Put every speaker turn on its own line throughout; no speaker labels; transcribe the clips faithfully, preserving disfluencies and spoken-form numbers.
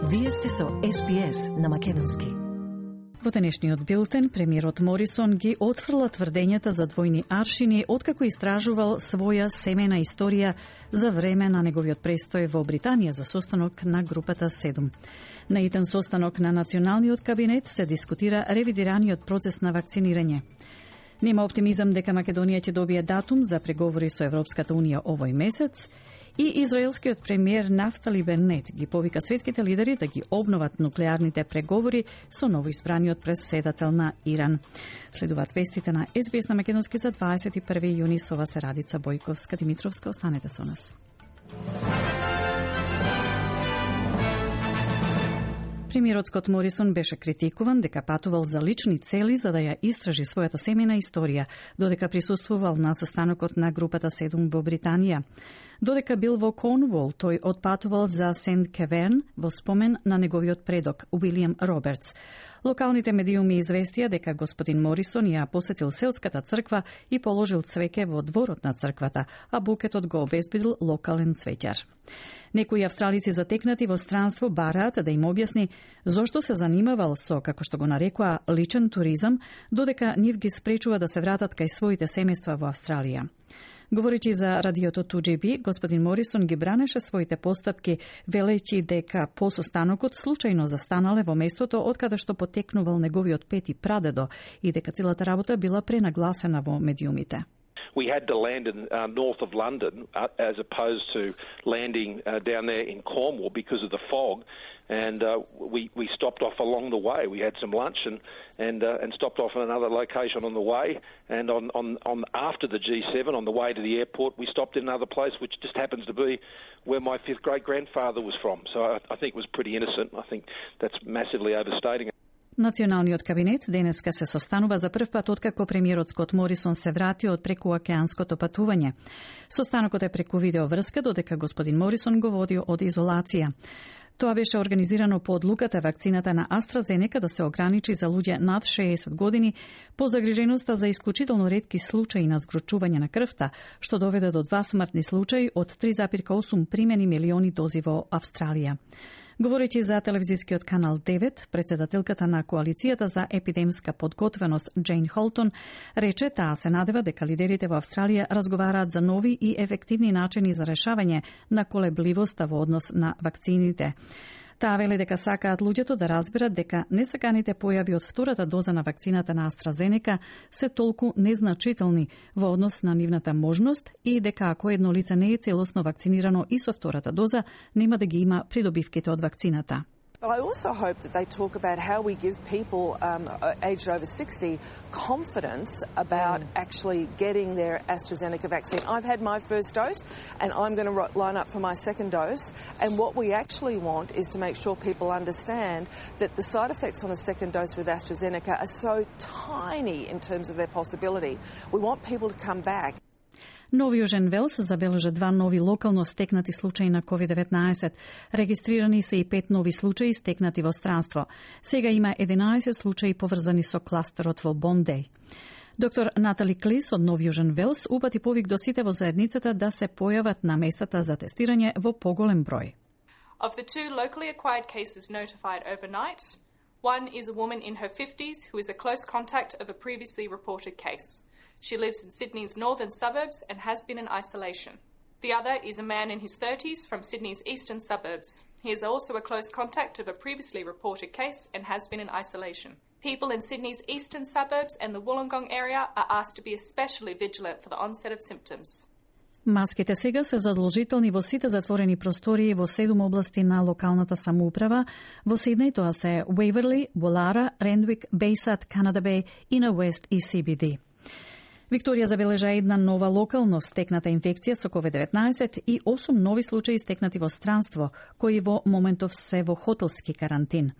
Вие сте со Ес Би Ес на македонски.
Во денешниот билтен, премиерот Морисон ги отфрла тврдењата за двојни аршини откако истражувал своја семена историја за време на неговиот престој во Британија за состанок на групата седум. На итен состанок на Националниот кабинет се дискутира ревидираниот процес на вакцинирање. Нема оптимизам дека Македонија ќе добие датум за преговори со Европската унија овој месец. И израелскиот премиер Нафтали Бенет ги повика светските лидери да ги обноват нуклеарните преговори со новоизбраниот претседател на Иран. Следуваат вестите на Ес Би Ес на македонски за дваесет и први јуни. Со вас е Радица Бојковска Димитровска. Останете со нас. Премиерот Скот Морисон беше критикуван дека патувал за лични цели за да ја истражи својата семена историја, додека присуствувал на состанокот на групата седум во Британија. Додека бил во Корнуол, тој отпатувал за Сент Кеверн во спомен на неговиот предок, Уилијам Робертс. Локалните медиуми известија дека господин Морисон ја посетил селската црква и положил цвеќе во дворот на црквата, а букетот го обезбедил локален цвеќар. Некои австралици затекнати во странство бараат да им објасни зошто се занимавал со, како што го нарекоа, личен туризам, додека нив ги спречува да се вратат кај своите семејства во Австралија. Говоречи за радиото ту џи би, господин Морисон ги бранеше своите постапки, велејќи дека по состанокот случајно застанале во местото од каде што потекнувал неговиот пети прадедо и дека целата работа била пренагласена во медиумите.
We had to land in uh, north of London uh, as opposed to landing uh, down there in Cornwall because of the fog, and uh, we we stopped off along the way. We had some lunch and and uh, and stopped off in another location on the way. And on, on on after the G seven on the way to the airport, we stopped in another place, which just happens to be where my fifth great grandfather was from. So I, I think it was pretty innocent. I think that's massively overstating it.
Националниот кабинет денеска се состанува за прв пат откако премиерот Скот Морисон се врати од прекуокеанското патување. Состанокот е преку видео врска, додека господин Морисон го води од изолација. Тоа беше организирано по одлуката вакцината на AstraZeneca да се ограничи за луѓе над шеесет години по загриженоста за исклучително ретки случаи на згручување на крвта, што доведе до два смртни случаи од три зарез и осум примени милиони дози во Австралија. Говоречи за телевизискиот канал девет, председателката на Коалицијата за епидемска подготвеност Джейн Холтон рече таа се надева дека лидерите во Австралија разговараат за нови и ефективни начини за решавање на колебливоста во однос на вакцините. Таа вели дека сакаат луѓето да разберат дека несаканите појави од втората доза на вакцината на AstraZeneca се толку незначителни во однос на нивната можност и дека ако едно лице не е целосно вакцинирано и со втората доза, нема да ги има придобивките од вакцината.
But I also hope that they talk about how we give people um, aged over sixty confidence about mm. actually getting their AstraZeneca vaccine. I've had my first dose and I'm going to line up for my second dose. And what we actually want is to make sure people understand that the side effects on a second dose with AstraZeneca are so tiny in terms of their possibility. We want people to come back.
Нови Јужен Велс забележа два нови локално стекнати случаи на ковид деветнаесет. Регистрирани се и пет нови случаи стекнати во странство. Сега има единаесет случаи поврзани со кластерот во Бондеј. Доктор Натали Клис од Нов Јужен Велс упати повик до сите во заедницата да се појават на местата за тестирање во поголем број.
Of the two locally acquired cases notified overnight, one is a woman in her fifties who is a close contact of a previously reported case. She lives in Sydney's northern suburbs and has been in isolation. The other is a man in his thirties from Sydney's eastern suburbs. He is also a close contact of a previously reported case and has been in isolation. People in Sydney's eastern suburbs and the Wollongong area are asked to be especially vigilant for the onset of symptoms.
Маските сега се задолжителни во сите затворени простории во седум области на локалната самоуправа. Во Сиднеј тоа се Уейверли, Волара, Рендвик, Бейсад, Канада Беј, Инер Уест и Си Би Ди. Викторија забележа една нова локално стекната инфекција со ковид деветнаесет и осум нови случаи стекнати во странство, кои во моментов се во хотелски карантин.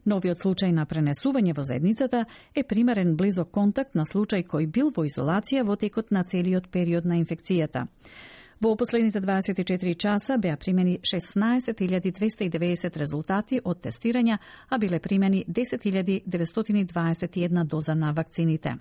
Новиот случај на пренесување во заедницата е примерен близок контакт на случај кој бил во изолација во текот на целиот период на инфекцијата. Во последните дваесет и четири часа беа примени шеснаесет илјади двесте и деветдесет резултати од тестирања, а биле примени десет илјади деветстотини дваесет и една доза на вакцините.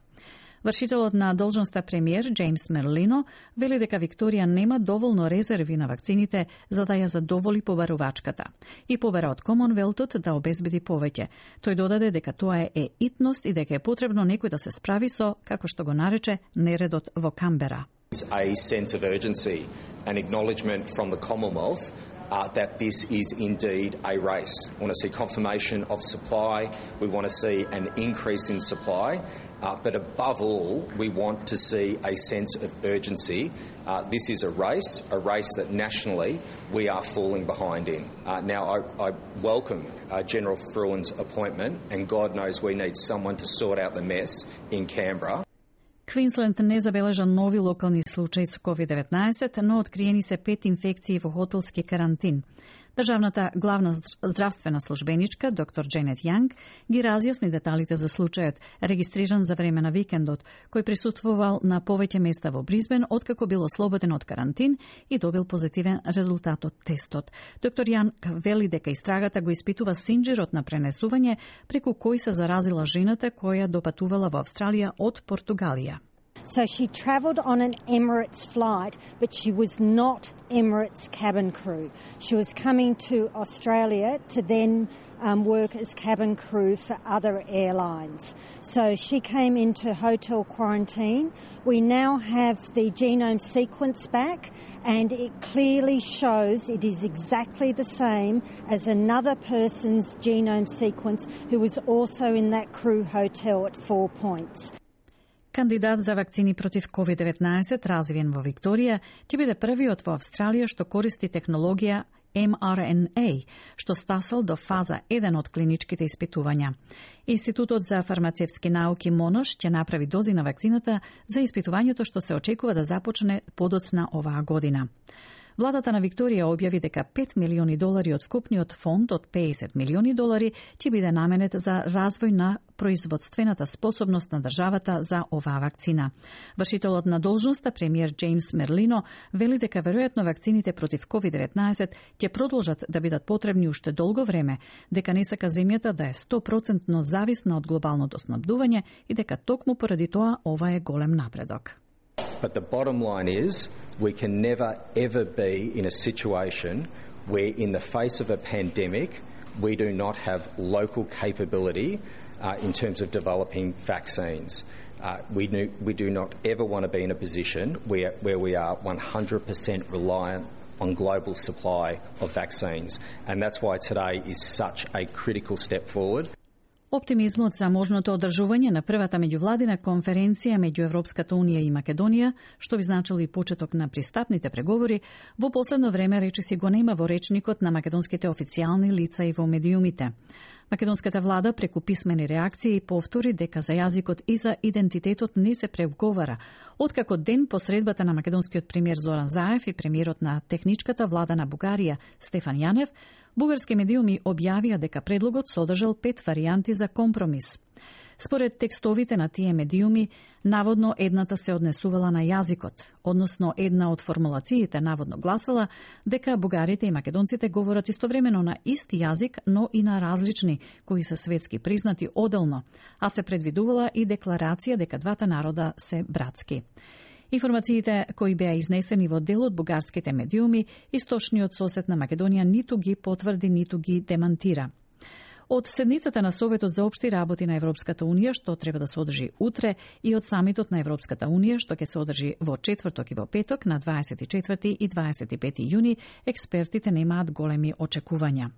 Вршителот на должноста премиер Джеймс Мерлино вели дека Викторија нема доволно резерви на вакцините за да ја задоволи побарувачката и побара од Комонвелтот да обезбеди повеќе. Тој додаде дека тоа е итност и дека е потребно некој да се справи со, како што го нарече, нередот во Камбера.
A sense of urgency and acknowledgement from the Commonwealth uh, that this is indeed a race. We want to see confirmation of supply. We want to see an increase in supply. Uh, but above all, we want to see a sense of urgency. Uh, this is a race, a race that nationally we are falling behind in. Uh, now, I, I welcome uh, General Fruin's appointment, and God knows we need someone to sort out the mess in Canberra.
Квинсленд не забележа нови локални случаи со ковид деветнаесет, но откриени се пет инфекции во хотелски карантин. Државната главна здравствена службеничка, доктор Дженет Јанг, ги разјасни деталите за случајот, регистриран за време на викендот, кој присуствувал на повеќе места во Бризбен, откако бил ослободен од карантин и добил позитивен резултат од тестот. Доктор Јанг вели дека истрагата го испитува синџирот на пренесување преку кој се заразила жената која допатувала во Австралија од Португалија.
So she travelled on an Emirates flight, but she was not Emirates cabin crew. She was coming to Australia to then um, work as cabin crew for other airlines. So she came into hotel quarantine. We now have the genome sequence back, and it clearly shows it is exactly the same as another person's genome sequence who was also in that crew hotel at Four Points.
Кандидат за вакцини против ковид деветнаесет, развиен во Викторија, ќе биде првиот во Австралија што користи технологија ем ар ен ей, што стасал до фаза еден од клиничките испитувања. Институтот за фармацевски науки Монош ќе направи дози на вакцината за испитувањето што се очекува да започне подоцна оваа година. Владата на Викторија објави дека пет милиони долари од вкупниот фонд од педесет милиони долари ќе биде наменет за развој на производствената способност на државата за оваа вакцина. Вршителот на должноста, премиер Джеймс Мерлино, вели дека веројатно вакцините против ковид деветнаесет ќе продолжат да бидат потребни уште долго време, дека не сака земјата да е сто проценти зависна од глобалното снабдување и дека токму поради тоа ова е голем напредок.
But the bottom line is we can never ever be in a situation where in the face of a pandemic we do not have local capability uh, in terms of developing vaccines. Uh, we, do, we do not ever want to be in a position where, where we are one hundred percent reliant on global supply of vaccines. And that's why today is such a critical step forward.
Оптимизмот за можното одржување на првата меѓувладина конференција меѓу Европската унија и Македонија, што би значило и почеток на пристапните преговори, во последно време речиси го нема во речникот на македонските официјални лица и во медиумите. Македонската влада преку писмени реакции повтори дека за јазикот и за идентитетот не се преговара, откако ден по средбата на македонскиот премиер Зоран Заев и премиерот на техничката влада на Бугарија Стефан Јанев, бугарски медиуми објавија дека предлогот содржал пет варијанти за компромис. Според текстовите на тие медиуми, наводно едната се однесувала на јазикот, односно една од формулациите наводно гласала дека бугарите и македонците говорат истовремено на ист јазик, но и на различни, кои се светски признати оделно, а се предвидувала и декларација дека двата народа се братски. Информациите кои беа изнесени во дел од бугарските медиуми, источниот сосед на Македонија ниту ги потврди, ниту ги демантира. Од седницата на Советот за општи работи на Европската унија, што треба да се одржи утре, и од самитот на Европската унија, што ќе се одржи во четврток и во петок на дваесет и четврти и дваесет и пети јуни, експертите немаат големи очекувања.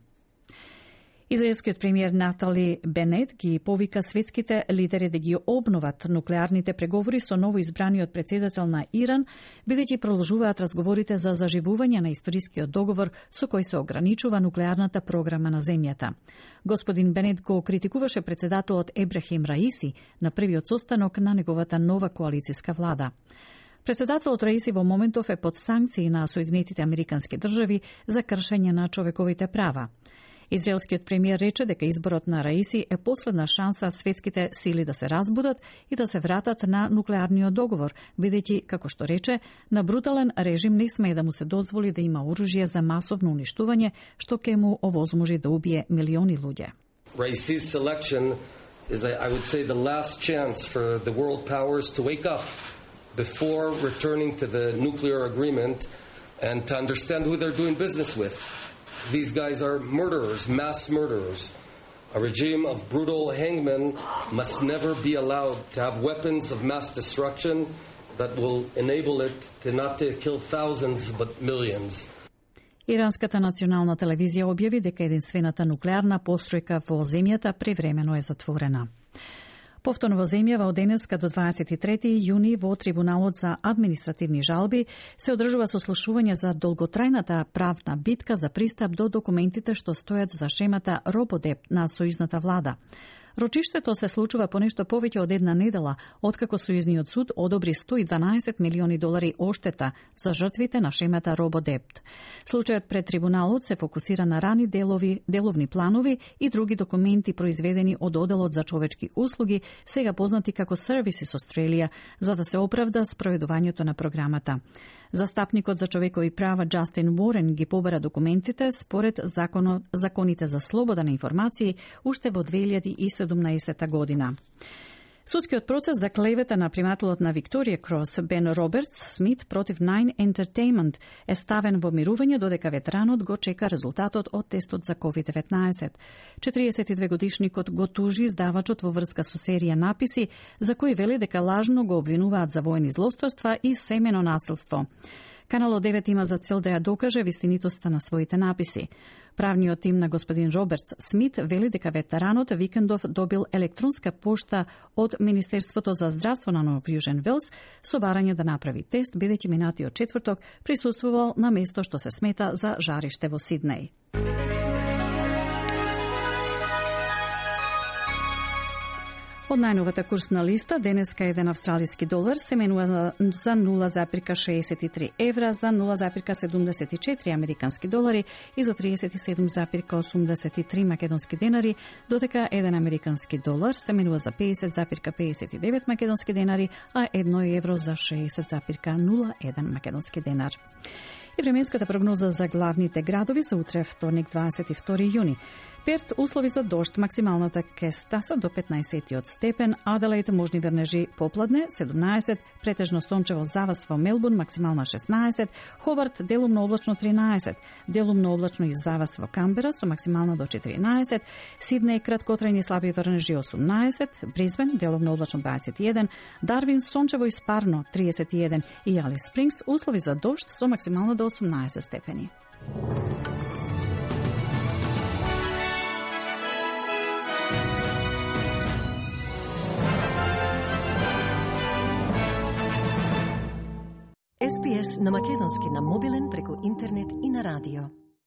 Израелскиот премиер Натали Бенет ги повика светските лидери да ги обноват нуклеарните преговори со новоизбраниот председател на Иран, бидејќи продолжуваат разговорите за заживување на историскиот договор со кој се ограничува нуклеарната програма на земјата. Господин Бенет го критикуваше председателот Ебрахим Раиси на првиот состанок на неговата нова коалицијска влада. Председателот Раиси во моментов е под санкции на Соединетите Американски држави за кршење на човековите права. Израелскиот премиер рече дека изборот на Раиси е последна шанса светските сили да се разбудат и да се вратат на нуклеарниот договор, бидејќи, како што рече, на брутален режим не смее да му се дозволи да има оружје за масовно уништување, што ќе му овозможи да убие милиони луѓе.
Raisi's selection is, I would say, the last chance for the world powers to wake up before returning to the nuclear agreement and to understand who they're doing business with. These guys are murderers, mass murderers. A regime of brutal hangmen must never be allowed to have weapons of mass destruction that will enable it to not to kill thousands but millions.
Иранската национална телевизија објави дека единствената нуклеарна постројка во земјата превремено е затворена. Повторно во земјава од денеска до дваесет и трети јуни во Трибуналот за административни жалби се одржува сослушување за долготрајната правна битка за пристап до документите што стојат за шемата Рободеп на сојузната влада. Рочиштето се случува по нешто повеќе од една недела, откако сојузниот суд одобри сто и дванаесет милиони долари оштета за жртвите на шемата Рободепт. Случајот пред трибуналот се фокусира на рани делови, деловни планови и други документи произведени од Оделот за човечки услуги, сега познати како Services Australia, за да се оправда спроведувањето на програмата. Застапникот за човекови права Джастин Уорен ги побара документите според законот, законите за слобода на информации уште во две илјади и седумнаесета година. Судскиот процес за клевета на примателот на Викторија Крос Бен Робертс Смит против Nine Entertainment е ставен во мирување додека ветеранот го чека резултатот од тестот за ковид деветнаесет. четириесет и две годишникот го тужи издавачот во врска со серија написи за кои вели дека лажно го обвинуваат за војни злосторства и семено насилство. Каналот девет има за цел да ја докаже вистинитоста на своите написи. Правниот тим на господин Робертс Смит вели дека ветеранот викендов добил електронска пошта од Министерството за здравство на Нов Јужен Велс со барање да направи тест, бидејќи минатиот четврток присуствувал на место што се смета за жариште во Сиднеј. Од најновата курсна листа, денеска еден австралиски долар се менува за нула запирка шеесет и три евра, за нула запирка седумдесет и четири американски долари и за триесет и седум запирка осумдесет и три македонски денари, додека еден американски долар се менува за педесет запирка педесет и девет македонски денари, а едно евро за шеесет запирка нула еден македонски денар. И временската прогноза за главните градови за утре, вторник, дваесет и втори јуни. Перт услови за дожд, максималната ке стаса до петнаесет степен, Аделаид можни вернежи попладне седумнаесет, претежно сончево завас во Мелбурн максимална шеснаесет, Хобарт делумно облачно тринаесет, делумно облачно и завас во Камбера со максимална до четиринаесет, Сиднеј краткотрајни слаби вернежи осумнаесет, Брисбен делумно облачно дваесет и еден, Дарвин сончево и спарно триесет и еден и Алис Спрингс услови за дожд со максимално до осумнаесет степени.
Ес Би Ес на македонски на мобилен преку интернет и на радио.